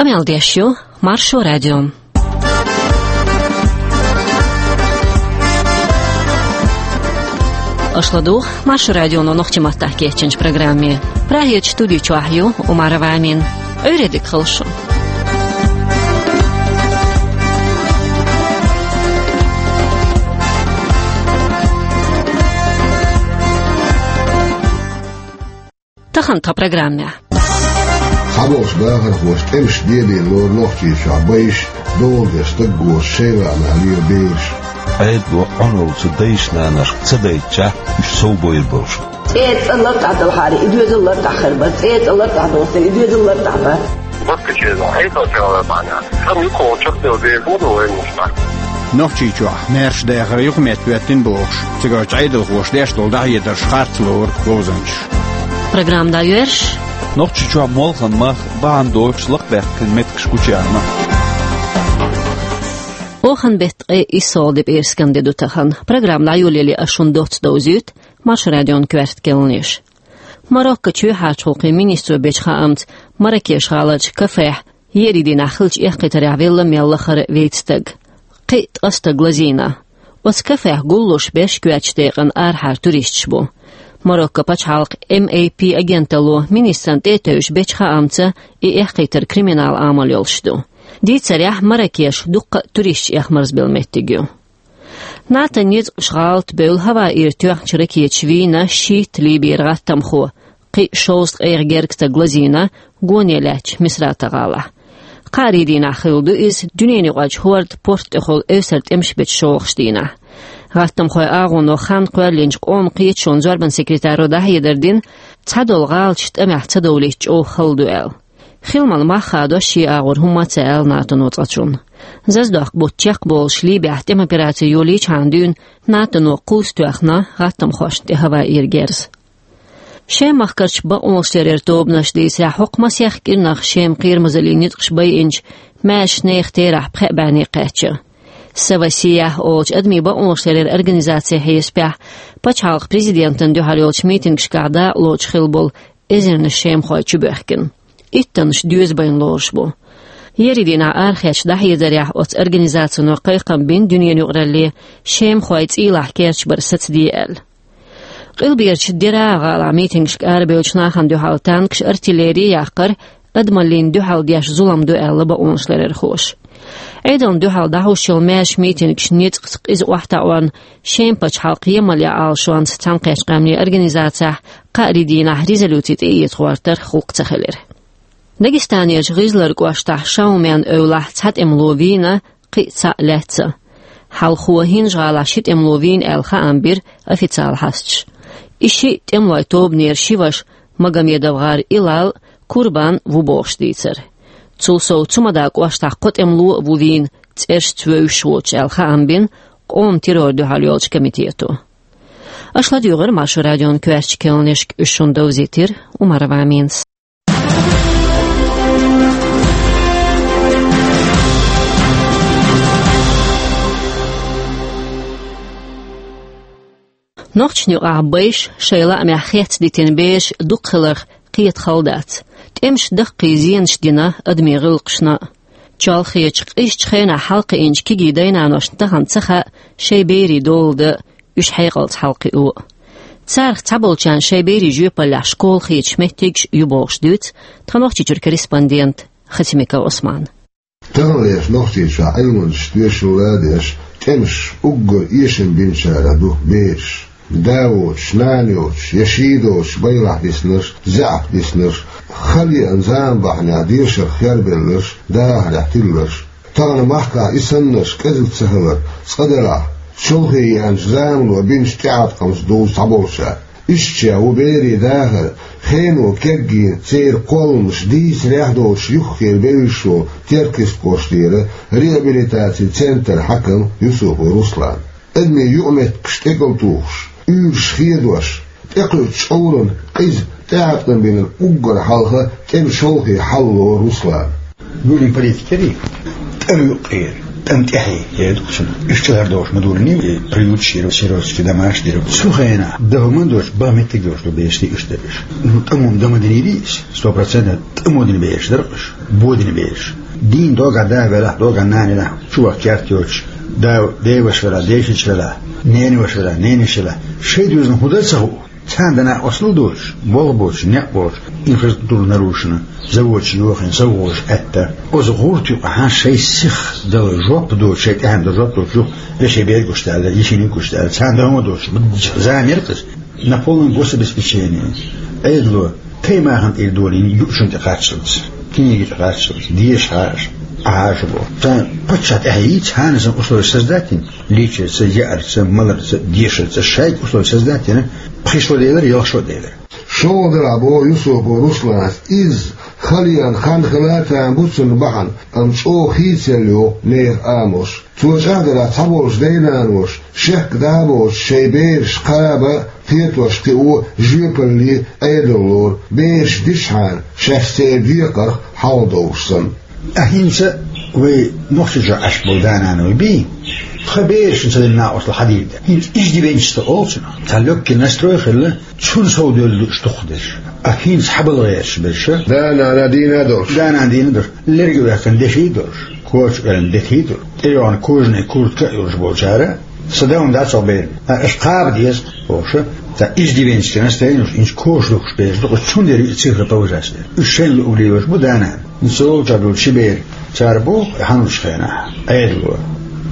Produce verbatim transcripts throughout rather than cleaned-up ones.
Къамел деш ю Маршо радио. Аша ладугӀу Маршо радионо нохчийн маттахь кечйинчу программе. Прагерчу студи чохь ю Умарова Амина. Ӏуьйре дика хуьлда шун. Тахана тхан программехь. Цхьаболчу бахархоша тӀемаш дедийна лору Нохчийчохь байш, дола деш стаг гоша шайн лаамехь лела бераш. Ӏедало Ӏуналлаца дайша-наношка ца дайтича, уьш сов бойр болуш. ЦӀе цӀа лартӀахь далахьара, и доьзал лартӀахь хир бара, цӀе цӀа лартӀахь долуш дара, и доьзал лартӀахь бара. Баткачеза, хьайга чавар бахьана. Хан юкъа чекхдевлла деза ву вайн муьтӀахь. Нохчийчохь маьрша дахар юкъаметтахӀоьттина бохуш, цигарчу Ӏедалхоша деш долу дӀахьедарш харц лору говзанчаша. Программа дӀайоьрзуш. Нохчийчохь молханан мах бахьана долуш лакхабаьккхина меттигаш гучуяьхна. Оханан беттан ткъе иссалгӀа де пӀераскан де ду тахана. Программа дӀайолале ас шуна доцца довзуьйту Маршо радион коьрта кхаьънаш. Мароккочу юьхьӀаьржачу гӀуллакхийн министро бечу хаамца, Марракеш-гӀаларчу кафехь ерриг дийнахь хиллачу эккхийтарехь велла мел лахара вейтта стаг. Кхин а ткъа стаг лазийна. Оцу кафехь гуллуш берш коьртачу декъана арахьара туристаш бу. Марокко пачхьалкхан М А П агенталло министрна тӀе а тевжаш бечу хаамца, и эккхийтар криминал Ӏамал йолуш ду. Дийцарехь, Марракеш дуккха а туристаш эхмарзабелла меттиг ю. НАТОн ницкъаша гӀалат бевлла хӀаваира тоьхначу ракеташа вийна шийтта Ливера гӀаттамхо, кхин а шовзткъе гергга стаг лазийна гоне лаьттачу Мисрата-гӀалахь. Кхаарин дийнахь хилла ду иза, дуьненаюкъарчу хӀорда порт тӀехула эвсара тӀемаш бечу шолгӀачу дийнахь. ГӀаттамхойн агӀоно хан кхоьллинчу Къоман кхеташонан зорбанан секретаро дӀахьедар дина, цхьадолу гӀалаташ тӀамехь ца довлийта чӀогӀа хала ду аьлла. Хиламан мах хадош шен агӀор хӀумма а ца аьлла НАТОно цкъачунна. Зазадоккху бутт чекхболуш Ливехь тӀеман операци йолийчхьана дуьйна НАТОно кхузза тоьхна гӀаттамхошна тӀе хӀаваира герз. Шеман махкарчу бакъонашларъяран тобанаша дийцарехь, хӀокху масех кӀирнах Шеман кхерамазаллин ницкъаша байинчу маьршачу нехан терахь пхеа бӀе кхаьчна. Савасия олучу адамийн бакъонашларъяран организацин хьесапехь, пачхьалкхан президентана дуьхьал йолчу митингашкахь дакъалоцуш хилла болу эзарнаш шемахой чубоьхкина. Иттаннаш доьза байна лоруш бу. Ерриг дийнахь арахецначу дӀахьедарехь оцу организацино кхайкхам бина дуьненан юкъаралле, шемахой цӀийлахь керташ бар сацаде аьлла. Къилберчу Дераъ-гӀалахь митингашка арабевллачу нахана дуьхьал танкаш, артиллери а яккхара, адамаллина дуьхьал деш зулам ду аьлла бакъонашларъярхоша. Ӏедална дуьхьал дӀахьуш йолу маьршачу митингаш ницкъаца къиза охьатаӀорна, Шеман пачхьалкхан емал ян Ӏалашонца Цхьаьнакхеттачу Къаьмнийн Организацехь кхаарин дийнахь резолюци тӀеэца гӀортарх гӀуллакх ца хилира. Дагестанерчу ГӀизлара кӀоштахь Шаумен эвлахь цхьа тӀемало вийна, кхин а цхьаъ лаьцна. Хьалхо ХӀинжа-гӀалахь ши тӀемало вийна аьлла хаам бира официалан хьасташа. И шиъ тӀемалойн тобанера ши ваша, Магомедов-гӀар Илал а, Курбан а ву бохуш дийцира. Цул сов Цумадан кӀоштахь кхо тӀемало а ву вийна, цӀерашца вевзаш воцуш аьлла хаам бина къоман террорна дуьхьал йолчу комитето. Аша ладуьйгӀира Маршо радион коьртачу кхаьънашка, уьш шуна довзийтира Умарова Аминас. Нохчашна юкъахь байш, шайн лаамехь хецна дитина бераш дукха хиларх кхета хала дац. ТӀемаша даккхий зенаш дина адамийн гӀиллакхашна а. Чолхечу, къизачу хенахь хьалакхиъначу кегий дай-наношна тахана ца хаьа шайн берийн дола дан а, уьш хьекъалца хьалакхио а. Царах цхьаболчарна шайн берийн жоьпаллехь школа хеташ меттигаш а ю бохуш дуьйцу тхан Нохчийчуьра корреспондента Хатимиков Ӏусмана. Таханлерчу Нохчийчохь Ӏилманчаша тоьшалла а деш, тӀемаша уггар эшам бинчарах ду бераш. Да воцуш, нана йоцуш я ший доцуш байлахь диснарш, заьӀап диснарш, хала еана зама бахьанехь дешарх хербелларш, дахарехь тилларш. Тахана махкахь и саннарш кӀезиг ца хилар, цкъа делахь, чолхе еанчу замано бинчу тӀеӀаткъамца дузу цхьаболчара. Ишттачех ву берийн дахар хено кегйина, церан кхолламаш дийцарехь а доцуш юххера бевзаш волу Теркйист-кӀоштара реабилитацин центран хьаькам Юсупов Руслан. Адамийн юкъаметтигаш тӀекӀалтухуш, уьйраш хедош, тӀекхуьучу чкъуран къиза тӀеӀаткъам бинарг уггар хьалха тӀеман шолхе хьалало Руслана. Гули политикери тӀера юкъера. ТӀем тӀехье, я думаю, что иштта долуш ма ду, и приют шира, сиротский домаш дира. Цу хенахь, даха ма доцуш, бан меттиг йолуш ду бераш, иштта бераш. Ну, тӀамо дан ма динийла иза, сто процентов тӀамо дина бераш дара уьш, бо дина бераш. Дийна догӀа да велахь, догӀа нана велахь, чу ваха керт йоцуш, да, деваш велахь, дешич велахь, ненаваш велахь, ненаш велахь. Шайн доьзална хӀун дан ца хуу? Царна дана оцлу доцуш, болх боцуш, некъ боцуш, инфраструктура нарушена, заводаш йохийна, совгӀаташ аьтта. Оцу гӀурта юкъахь шайн сих дала жоп доцуш, шайн тӀаьхьенна дала жоп доцуш, юха вешин берг гуш даьлла, йишина гуш даьлла. Царна дама доцуш, замер кхуьнца. На полном гособеспечении. Ӏедало, таймахана тӀера долийна, юучунна тӀе кхаччалц, книги тӀе кхаччалц, деша хьажа, Ӏа хьажа боху. Царна паччахь тӀаьхье йийца, хьанна сан условия создать йина, лийчарца, яарца, маларца, дешарца, шайга условия создать йина, пхи шо делира, ялх шо делира. ШолгӀа делахь боху Юсупов Руслана, иза хала еана хан хилла а тан бу цунна бахьана, амма чӀогӀа хийцаелла йоху нехан амалш. Цо чӀагӀдарехь, цхьаболчу дай-наноша шек дӀа а боцуш, шайн бераш кхаба, кхетош кхио, жоьпалле Ӏедал лору, бераш дисчхьана, шаьш церан декхарх хьалха довлуш санна. Ткъа хӀинца вай Нохчийчохь Ӏаш болу да-нана вай бий, тхан берашна ца дина накъосталла хьан дийр дара? ХӀинца иждивенчество олу цунах. Цхьа лёгкий настрой хилла, цунна совдевлла ду уьш дукхахдерш. Ткъа хӀинца хьан бала гӀерташ берш? Да-нана дийна а долуш. Да-нана дийна а долуш. Лерг а ваьккхина деши а долуш. Коча а кхоьллина дети а долуш. ТӀейогӀна кожаный куртка а йолуш болчара, сан да хӀума дац хьо берна. Ткъа аша кхаба деза, бохуш, цхьа иждивенческий настроение йолуш, хӀинца коча духкуш берш ду, кху цундела и цифра повышать дара. Уьш шайна луъург лелош бу да-нана. Цул чӀогӀа долу ши бер. Цара боху хьан лучу хенахь, Ӏедало,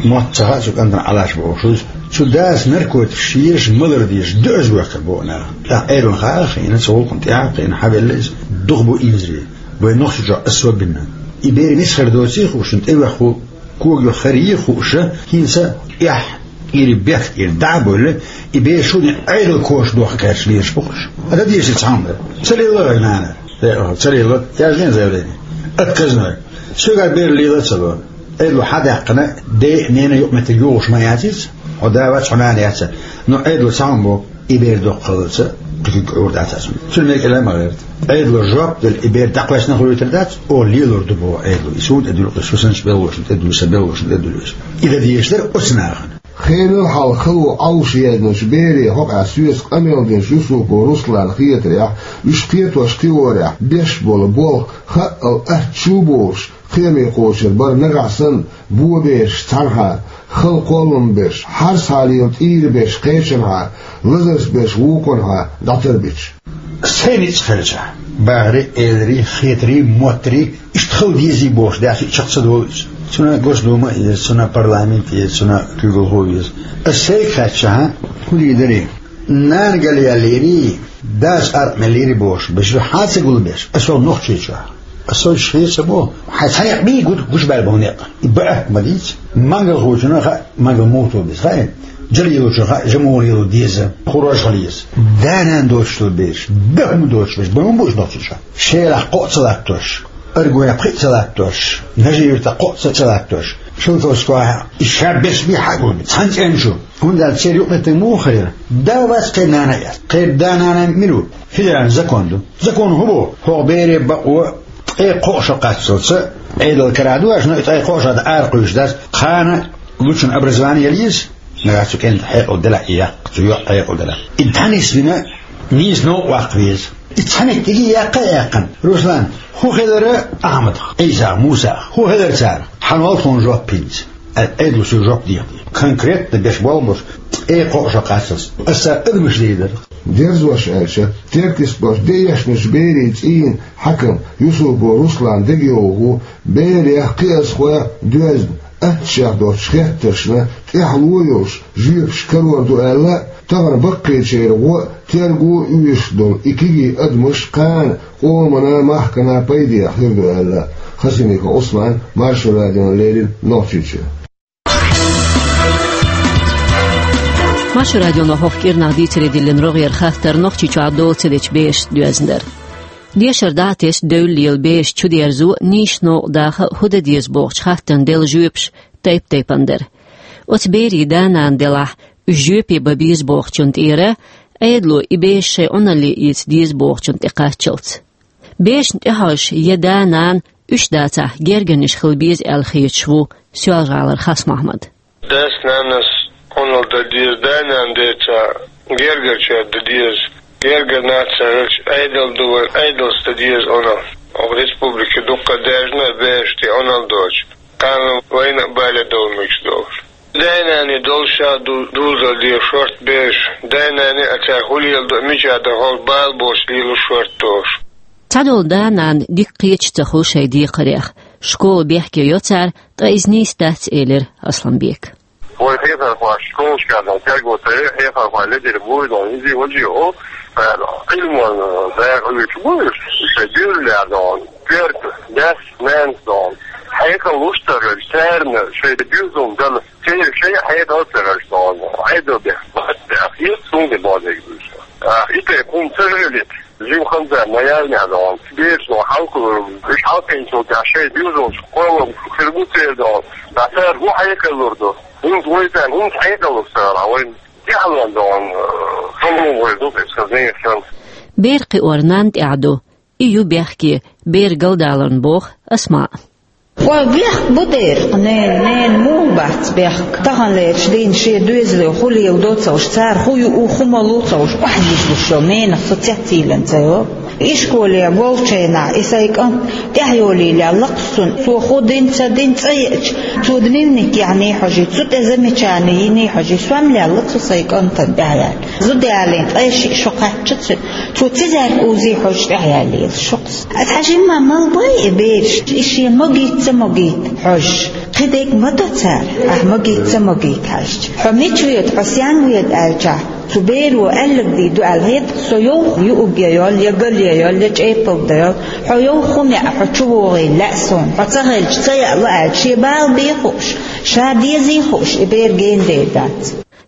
мотт ца хаьа цу кӀантана Ӏалаш бохуш иза. Цу дас наркотикаш езаш, малар дезаш, доьаза вехкар боху нах. ТӀаккха Ӏедална хаьа хиъна, цу гӀуллакхна тӀаьхьа кхиъна, хьан велла иза? Дукха бу инзаре. Вайн Нохчийчохь особенно. И бер мица хир доций хууш, тӀевеха хӀу, когах хир йий хууш, хӀинца эхь, Ира бехк ира дӀа а бевлла, и бер шуна Ӏедал коча дохка кхаьчча лелаш бу-кх уьш. Ткъа дан дезаш цхьа хӀума дара. Ца лелла вай нана. Э, ца лелла, яздина заявление. Отказной. Соьгара бер лела а ца ло. Ӏедало хьан даьккхина, ден а, ненан а юкъаметтиг йогӀуш ма яц иза. Хьо да вац, хьо нана яц. Но Ӏедало цхьа хӀума боху, и бер доккха хиларца, кхин куьг Ӏуьйр дац аса. Цуьнан мегар а ма гӀерта. Ӏедало жоп делла, и бер дӀакхоьссина хуьлуьйтур дац, оха лелор ду боху Ӏедало. И суна тӀедуьллу, и сан белхалошна тӀедуьллу, сан белхалошна тӀедуьллу иза. И дан дезаш дара оцу нахана. Хенал хьалха хало Ӏовша езначу берийн хьокъехь соьца къамел динчу Юсупов Русланна хетарехь, уьш кхетош кхиорехь, беш болу болх хаъал атта чу а болуш, кхиаме кхочур бара нагахь санна, бо берш цхьанхьа, хала кхоллам берш, хьарсхьа лела тӀийра берш кхечанхьа, лазарца берш вукхунхьа дӀатарбича. Сайн ницкъ хилча, бахарий, эларий, хетарий, моттарий, иштта хала дезий бохуш даьхча чекх ца долу иза. Цунна Госдума а еза, цунна парламент а еза, цунна куьйгалхо а веза. Аса сайга хаьттича, хӀун дийр дарий? Нана галъяьллийрий, дас аркъа меллийрий бохуш, бежа хьан ца гулбеш, аса ваха Нохчийчохь. Аса шен ца бо, хьайн цхьа некъ бий гуш баьлла болу некъ. И баьхка ма дийца. Мангалхочунна хаьа, мангал муха беза, хаьий? Жа лелочунна хаьа, жа муха лело деза, хӀун рожа хила еза. Да-нана доцуш долу бераш, бехк ма доцуш берш, бан ма бу уьш Нохчийчохь. Шелахь кхоъ ца латтош, Аргуне пхиъ ца латтош, Нажи-Юьртахь кхоъ ца, ца латтош, Шелковскохь и ша берш бий хьан гулбе, цхьана цӀен чу. ХӀунда аьлча церан юкъаметтиг муха хир яра? Да вац, кхеран нана а яц. Кхеран да-нана мила ву? Федеральный закон ду. Закон хӀун боху? ХӀокху бере бакъо ткъе кхоъ шо кхаччалца Ӏедал карахь ду аьлча, но и ткъе кхоъ шо ара кхуьйсуш дац, кхана лучун образование яла еза, нагахь цу кӀентан хьекъал делахь и яккха, цу йоӀан хьекъал делахь. И дӀанисвина нийса новкъа ваккха веза. И цхьа меттиге яккха а яьккхина. Руслан, хӀун хилара Ахьмадах, Ӏийсах, Мусах? ХӀун хилара царах? Хьан вал тхуна жоп хӀинца? Ай, Ӏедало соьга жоп дехьа. Конкретно беш болу баш ткъе кхоъ шо кхаччалц. Аса адамаш дийр дара. Дерзош аьлча, теркйистех де эшначу берийн цӀийнан хьаькам Юсупов Руслан дегайовхо, берех, кхиазхойх доьзна, аттачех доцучу хеттаршна тӀаьхьало йолуш жоьпаш карор ду аьлла, тахана баккхийчеран гӀо а, терго а оьшуш долу и кегий адамаш кхана къомана, махкана пайдехь хир ду аьлла. Хасимиков Ӏусман, Маршо радиона леррина, Нохчийчоь. Маршо радионо хӀокху кӀирнах дийцаре диллина рогӀера хаттар Нохчийчохь дола ца дечу берашца доьзна дара. Дешар дӀа а тесна, девлла лела бераш чудерзо а, нийсачу новкъа даха а хӀун дан деза бохучу хаттарна делла жоьпаш тайп-тайпана дара. Оцу берийн да-нана делахь, уьш жоьпе бан беза бохучунна тӀера, Ӏедало и бераш шайн Ӏуналле эца деза бохучунна тӀекхаччалц. Берашна тӀехьожуш я да-нана, уьш дацахь, гергарниш хила беза аьлла хеташ ву Соьлжа-ГӀалара Хас-Мохьмад. Дас-нанас Ӏуналла дан деза, да-нана деца гергарчаьрга дан деза. Гергара нах ца хилча, Ӏедал ду вайн, Ӏедалца дан деза Ӏуналла. Оха республике дуккха даьржина бераш тӀе Ӏуналла доцуш, кхана вайна а бале довла мегаш долуш. Дай-наной долуш а ду, дузал де шорта бераш, дай-наной а цара хӀун леладо, мичахь дан хьовсуш, бала боцуш лело шорта долуш. Цхьадолу да-нана дика кхеташ ца хуьлу шайн декхарех. Школа бехке йо цара, ткъа иза нийса дац, элира Асланбека. Вай хьехархой школашкахь дӀа терго ца йо, хьехархой ледара буй дон, иза валжа йо, Ӏилман дакъа луьйчу буй, шайн дуьйраллехь дон, коьрта, дас, нанас дон. Хьекъал луш ца хилча, царна шайн дуьззина дала, церан шайн хьекъал ца хилча дон, Ӏедал бехк бац бехк, иза цунна бозийга буьйцу. А, и тӀе хӀума ца хилийта, жима хан ца ма яьллехь дон, бераш дон хьалха, уьш хьалхинчул тӀаьхьа шайн дуьззина кхоллам хир бу церан дон, ткъа цара хӀун хьекъал лур ду? ХӀинца вай царна хӀинца хьекъал лур ца хилахь, вайн тӀаьхьалонан дон, э, хӀума вай ду, иза хаза санна. Бер кхиор нанна тӀехь ду, и ю бехке, бер галдаларна, боху Асмаъ. Ва бехк бу дера, ненан, ненан муха бац бехк? Таханлерчу дийнахь шен доьзале хӀун леладо ца хууш, цара хӀун юу, хӀун ма лур ца хууш, охьадийлуш йолу ненах со цецйийлина ца йо. Ишколе волчу хенахь и сайн кӀант тӀаьхьайолийла лакхаш цунна, цо хӀун дина, ца дина цӀа еача, цо дневник яьхьний хьожий, цу тӀе замечани йиний хьожий, сом лелла цу сайн кӀантана тӀаьхьаяьлла. Зуда ялийна ткъе шиъ шо кхаьчча цуьнан, цо цизаьрга узий хьожуш тӀаьхьаяьллера шуьхас. Аса хьажийна ма мала бой и бераш, и шен могийта ца могийта хьожуш. Кхидерг ма до цара, ахь могийта ца могийта хьаьжча. Хьо мича воьду, хьо стенна воьду аьлчахь, цу беро аьлларг дийр ду аьлла хета, со йовха юург ян йолу, я гал ян йолу, я чӀепалг дан йолу. Хьо йовха хӀума яа, хьо чу вогӀийла лаьа суна, хьо ца хилча ца яа ло аьлча, шен бала бен хууш, ша дезий хууш, и бер гена дер дац.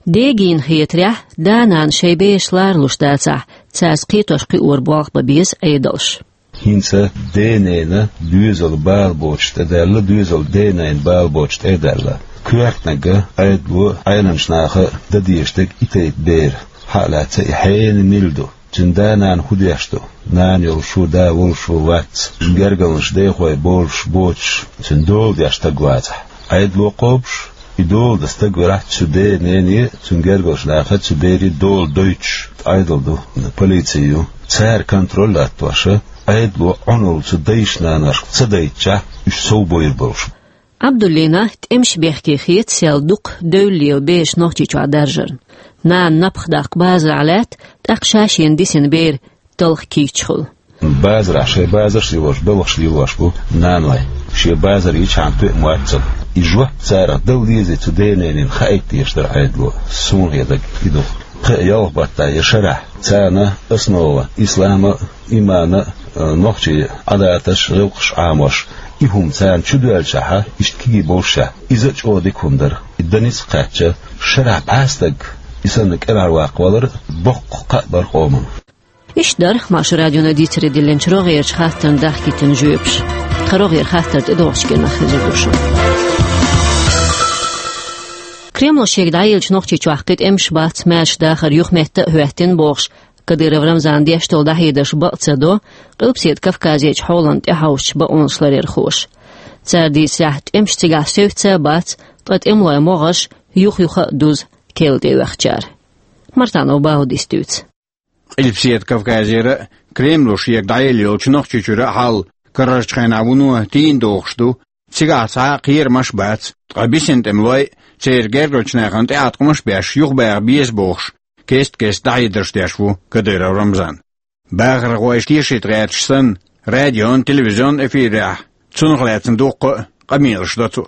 Дегийна хетарехь, да-нана шайн бераш ларалуш дацахь, цаьрца кхетош-кхиор болх бан беза Ӏедалш. ХӀинца ден-ненан доьзал бала боцуш тӀедаьлла, доьзал ден-ненан бала боцуш тӀедаьлла. Коьртаниг а, Ӏедало а, Ӏеламчу наха а дан дезаш дерг и тайпа бер. Хьа а лаьцна, и хьенан мила ду? Цуьнан да-нана хӀун деш ду? Нана йолуш ву, да волуш ву, вац. Гергарнаш дехой болуш, боцуш, цуьнан дола деш стаг вацахь, Ӏедало кхобуш, и дола дан стаг велахь, цу ден-ненан а, цуьнан гергарчу нахана а, цу берийн а дола дойтуш Ӏедал ду, полици ю. Цара контроль латтош, Ӏедало Ӏуналла цу дайшна-наношка ца дайтичахь, уьш сов бойр болуш. Ӏабдуллина тӀемаш бехке хета сел дукха девлла лела бераш Нохчийчохь даржарна. Нана напха даккха базарахь лаьтта, тӀаккха ша шена дисина бер талха кийча хуьлу. Базарахь шайн базарш а йолуш, белхаш а лелош бу наной. Шен базар йичхьана тоьа моьтту цунна. И жоп царах дала дезий цу ден-ненан хаийта дезаш дара Ӏедало. Суна хетарг и ду. Кхин а ялх баттахь я шарахь царна основа ислама а, имана а, э, нохчийн Ӏадаташ, гӀиллакхаш Ӏамош, и хӀума царна чу доьллачахьа, иштта кегий болушехь, иза а чӀогӀа дика хӀума дара. И дан ницкъ кхаьчча, шарахь бӀе стаг и санна кӀелхьарваккха валар а боккха кхаъ бара къоман. Иштта дара Маршо радиона дийцаре диллинчу рогӀерачу хаттарна дахкийтина жоьпаш. Тхан рогӀера хаттар тӀедогӀучу кӀирнах хезар ду шуна. Кремло шега дӀаеллачу Нохчийчохь кхин тӀемаш бац, маьрша дахар юхаметта а хӀоьттина бохуш, Кадыров Рамзана деш долу дӀахьедарш бакъ ца до Къилбаседа Кавказерчу хьолана тӀехьовсучу бакъонашларъярхоша. Цара дийцарехь, тӀемаш цигахь севцца а бац, ткъа тӀемалойн могӀарш юх-юха а дузу керла тӀеоьхучара. Мартанов Баудис дуьйцу. Къилбаседа Кавказера а, Кремло шега дӀаелла йолчу Нохчийчуьра а хьал карарчу хенахь вуно тийна догӀуш ду, цигахь цхьа а кхерамаш а бац, ткъа бисина тӀемалой а, церан гергарчу нахана тӀеӀаткъамаш а беш юхабаха беза бохуш, кест-кеста дӀахьедарш деш ву Кадыров Рамзан. Бахархой тешийта гӀерташ санна, радион, телевизион эфирехь цунах лаьцна дуккха а къамелаш до цо.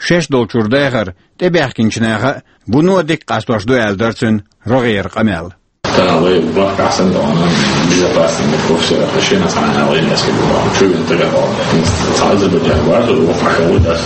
Шаьш долчуьра дахар тӀебаьхкинчу наха а вуно дика къастош ду аьлла дара цуьнан рогӀера къамел. Тахана вай бахкахь санна доӀана безопасный мет профессора хашена цхьана вай несколько доӀана. Чу вина тагахь доӀана. Цхьа Азербайджан варзо вокхахь ву дас.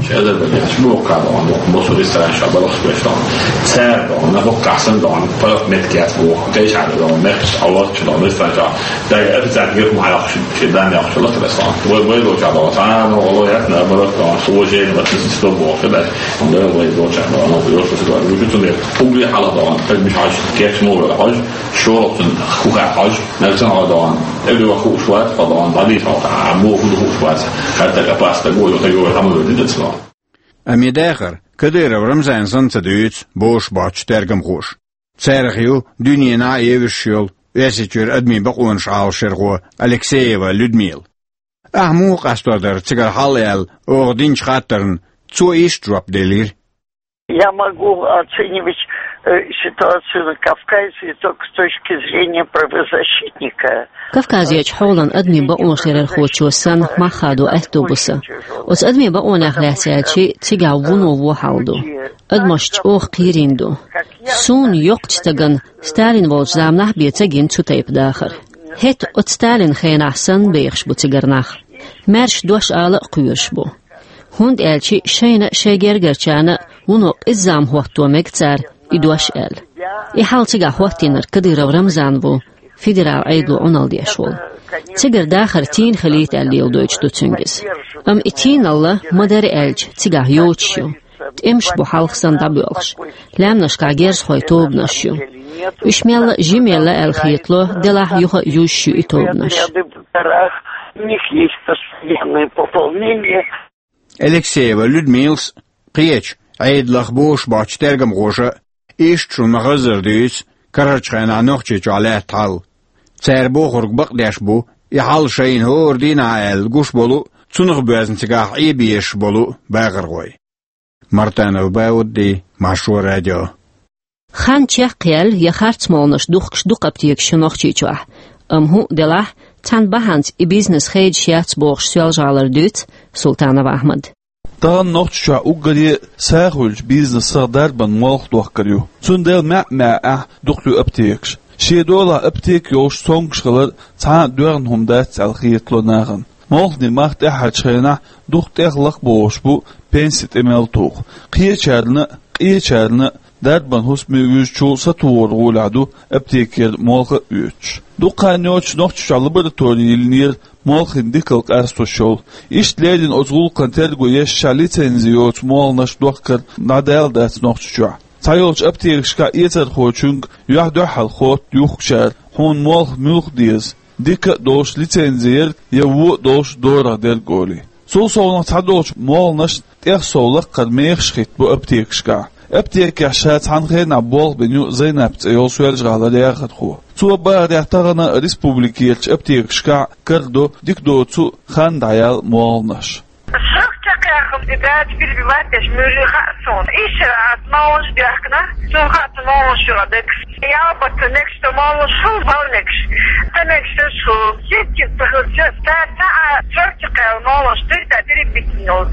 Ши Азербайджан чу вокхахь доӀана. Босу ресторан ша балахаш беш доӀана. Цара доӀана, бахкахь санна доӀана. Парах мет кет ву. Тайшахь доӀана. Мехкаш аллах чу доӀана. Ресторан ша. Дага официант гирху хьалахаш. Ши дан яхаш лахаш доӀана. Вай, вай лоча доӀана. Цхьана вало яхна барак доӀана. Су вожен ватнис сто боху дас. Анда вай лоча доӀана. Лоча доӀана. Вуьшуьцу мет. Угли хьала доӀана. Таг миш хьаж. Кеш мугла хьаж. ШолгӀа цун хӀуха хьаж, нагахь санна хьо доӀана. Эбли ваха хууш вац, хьо доӀана, дӀадийца хьо, а, муха хӀун ду хууш вац. ХӀара таг опасный таг ву, таг ву, хӀама вер дина цунах. Амма и дахар Кадыров Рамзана санна ца дуьйцу бозуш боцчу тергамхоша. Царах ю дуьненахь а евзаш йолу Оьрсийчуьра адамийн бакъонаш Ӏалашъярхо Алексеева Людмила. Ахь муха къасто дара цигара хьал аьлла оха динчу хаттарна, цо иштта жоп делира: Я могу оценивать э, ситуацию на Кавказе только с точки зрения правозащитника. Кавказерчу хьолан адамийн бакъонаш ларъярхочо санна мах хадо аьтто бу сан. Оцу адамийн бакъонех лаьцна аьлча, цигахь вуно вон хьал ду. Адамаш чӀогӀа кхерийна ду. Суна йоккхачу стагана Сталин волчу заманахь бен ца гина цу тайпа дахар. ХӀетахь оцу Сталинан хенахь санна бехаш бу цигара нах. Маьрша дош ала а кхоьруш бу. ХӀунда аьлча шайна а, шайн гергарчарна а вуно къизза хӀотто мега цара и дош аьлла. И хьал цигахь хӀоттийнарг Кадыров Рамзан ву, федералан Ӏедало Ӏуналла деш волу. Цигара дахар тийна хилийта аьлла леладойтуш ду цуьнга иза. Амма и тийналла ма-дарра аьлча цигахь йоцуш ю. ТӀемаш бу хьалха санна дӀабоьлхуш. Лаьмнашкахь герзахойн тобанаш ю. Уьш мелла а жимелла аьлла хетало, делахь юха а юьзуш ю и тобанаш. У них есть постоянное пополнение. Алексеева Людмилас, кхечу Ӏедалах бозуш боцчу тергамхоша иштта шуна ма-хаззара дуьйцу карарчу хенахь Нохчийчохь лаьтта хьал. Цара бохург бакъдеш бу и хьал шайна хӀора дийнахь аьлла гуш болу а, цунах боьзна цигахь Ӏебезаш болу а бахархой. Мартанов Баудди, Маршо радио. Хан чекхъяьлла я харц молханаш духкуш дукха аптекаш ю Нохчийчохь. Амма хӀун а делахь, цхьана бахьанца и бизнес хедаш яц бохуш Соьлжа-ГӀалара дуьйцу Султанов Ахьмада. Тахана Нохчийчохь уггаре а сагӀа хуьлучу бизнесах дарбан молха дохкар ю. Цундела маьӀ-маьӀӀехь а дукха ю аптекаш. Шен долахь аптека йолуш цомгуш хилар цхьа а доьгӀна хӀума дац аьлла хетало нахана. Молханийн мах тӀаьххьарчу хенахь дукха тӀех лакхабохуш бу пенси тӀе мел туху. Кхечарна а, къечарна а дарбан хӀусаме вуьжучул сатухур гӀолехь ду аптекера молха а оьцуш. Дукха хан йоцуш Нохчийчохь лаборатори йиллинера молханийн дикалла къастош йолу. Иштта леррина оцу гӀуллакхан терго еш, ша лицензи йоцу молханаш дохкар дӀадала дац Нохчийчохь. Цхьайолчу аптекашкахь эцархочуьнга юьхь-дуьхьал хотту юхкучара: «Хьуна молха муьлха деза, дика а долуш лицензи ерг я вон а долуш дорагӀа дерг», — олий. Цул совнаха цхьадолчу молханашна тӀех сов лаккхара мехаш хӀиттабо аптекашкахь. Аптекехь ша цхьана хенахь болх бина ю Зайнап цӀе йолу Соьлжа-ГӀалара яхархо. Цо бахарехь, тахана республикерчу аптекашкахь карадо дика доцу хан дӀаяьлла молханаш. Срок чекхъяххана, и дача перебивать деш муьлхха а суна. Ишшара ас молханаш дехкина, суна хаьа цу молханаш чуьра декс. Ялбатта мегаш ду молханаш хуьлу, бала мегаш. Ца мегаш ду шу. Ситкин ца хуьлу, ца, ца, ца, а, срок чекхъяьлла молханаш дуьйта перебитина йолу.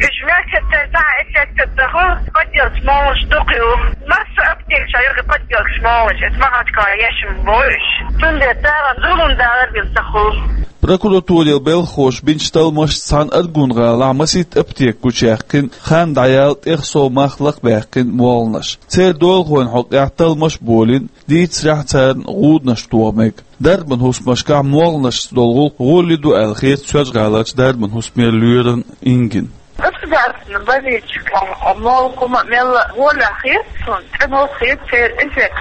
Уьш мегаш ца, ца, а, эццетта ца хуьлу, подделка молханаш дукха ю. Массо аптекаш а юха подделка молханаш, эца Махачкала ешан бу уьш. Цундела цара зулам далар бен ца хуьлу. Прокуратурин белхахоша бинчу талламашца цхьана Аргун-гӀалахь масийтта аптека гучуяьккхина, хан дӀаяьлла, тӀех сов мах лакхабаьккхина молханаш. Церан долахойн хьокъехь талламаш а болийна, дийцарехь, царна гӀуданаш тоха мега. Дарбан хӀусамашкахь молханашца долу гӀуллакх гӀоле ду аьлла хета Соьлжа-ГӀаларчу дарбан хӀусамера лоьран Ингина. Государственная больничка молха хӀума мелла гӀоле хета суна, цӀена хета церан эффект.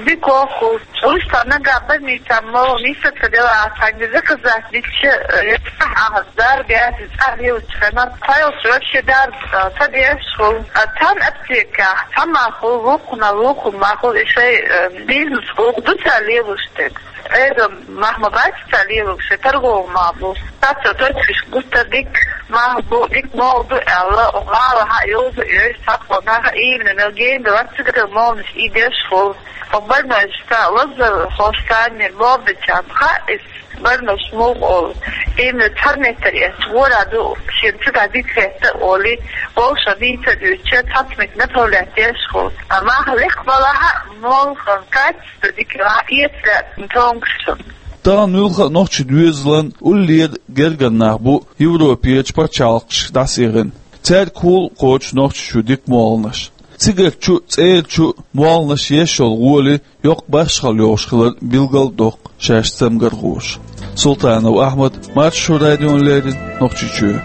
Дика хӀума. Уьш ца нагахь больница молха нисса ца делахь, цхьаьнгге заказать дича, э, цхьа ахьа дарба яц, цхьа лелачу хенахь, цхьайолчу вообще дарба, э, ца деш хуьлу. А цхьана аптекехь цхьа мах хуьлу, вукхунна вукхун мах хуьлу, и шайн, э, бизнес гӀуллакх ду цара лелош дерг. Эда мах ма бац цара лелош, шайн торговый мах бу. Цхьацца точкаш гуттар дика мах бу, дика молха ду аьлла, гӀалахь а йовза а йоьш, цхьацца наха именно мел гена ду, вац цигара молханаш и деш хуьлу. Оха больнойшца, лазархошца, мел болх бечарна хаьа иза, больнойш муха олу. Именно цхьа метр эцна гӀора ду, шен цигахь дика хетта а олий, вовшах дийца а дуьйцуча, цхьацца метр направлять деш хуьлу. А мах лекха балахь а, молхан качество дика а, эца лаьцна тонгуш цунна. Тахана муьлхха а нохчийн доьзалан уллера гергара нах бу Европерчу пачхьалкхашка дӀасаихина. Цаьрга хьул кхочуш Нохчийчу дика молханаш. Цигарчу а, цӀерачу а молханаш еш йолу гӀоли йоккха башхалла йолуш хилар билгал а доккху шаьш цамгархоша. Султанов Ахьмад, Маршо радиона леррина, Нохчийчоь.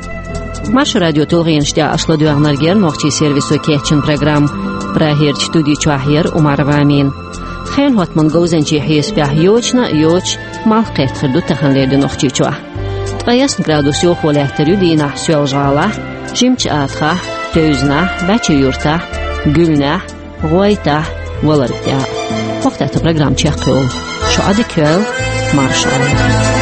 Маршо радион тулгӀенаш тӀехь аша ладоьгӀнарг яра нохчийн сервисо кечйина программа. Прагерчу студи чохь яра Умарова Амина. Хенан хӀоттаман говзанчийн хьесапехь йочана а йоцуш, малх кхетта хир ду таханлера де Нохчийчохь. Ткъе ялх градус йовхо лаьттар ю дийнахь Соьлжа-ГӀалахь, Жимачу Атахахь, Тевзанахь, Бача-Юртахь, Гуьлнехь, ГӀойтӀахь, Валаргтехь. Вахтатта программа чекхйолу. Шу Ӏадика йойла, марша Ӏойла.